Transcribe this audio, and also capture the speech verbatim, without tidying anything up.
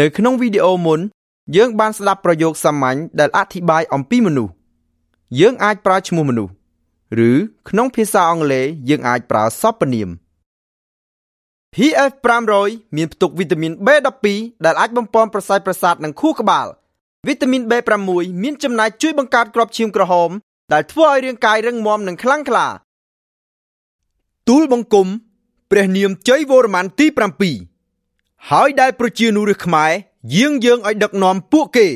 នៅក្នុងវីដេអូមុនយើងបានស្ដាប់ប្រយោគសាមញ្ញដែលអធិប្បាយអំពីមនុស្សយើងអាចប្រើឈ្មោះមនុស្សឬក្នុងភាសាអង់គ្លេសយើងអាចប្រើសព្វនាម ភី អេฟ ប្រាំរយមានផ្ទុកវីតាមីន បេ ដប់ពីរដែលអាចបំប៉នប្រសើរប្រសាទនិងខួរក្បាលវីតាមីន បេ ប្រាំមួយមានចំណែកជួយបង្កើតគ្រាប់ឈាមក្រហមដែលធ្វើឲ្យរាងកាយរឹងមាំនិងខ្លាំងក្លាទូលបង្គំព្រះនាមជ័យវរ្ម័នទីប្រាំពីរហើយដែលប្រជានុរាស្ត្រខ្មែរយាងយើងឲ្យដឹកនាំពួកគេ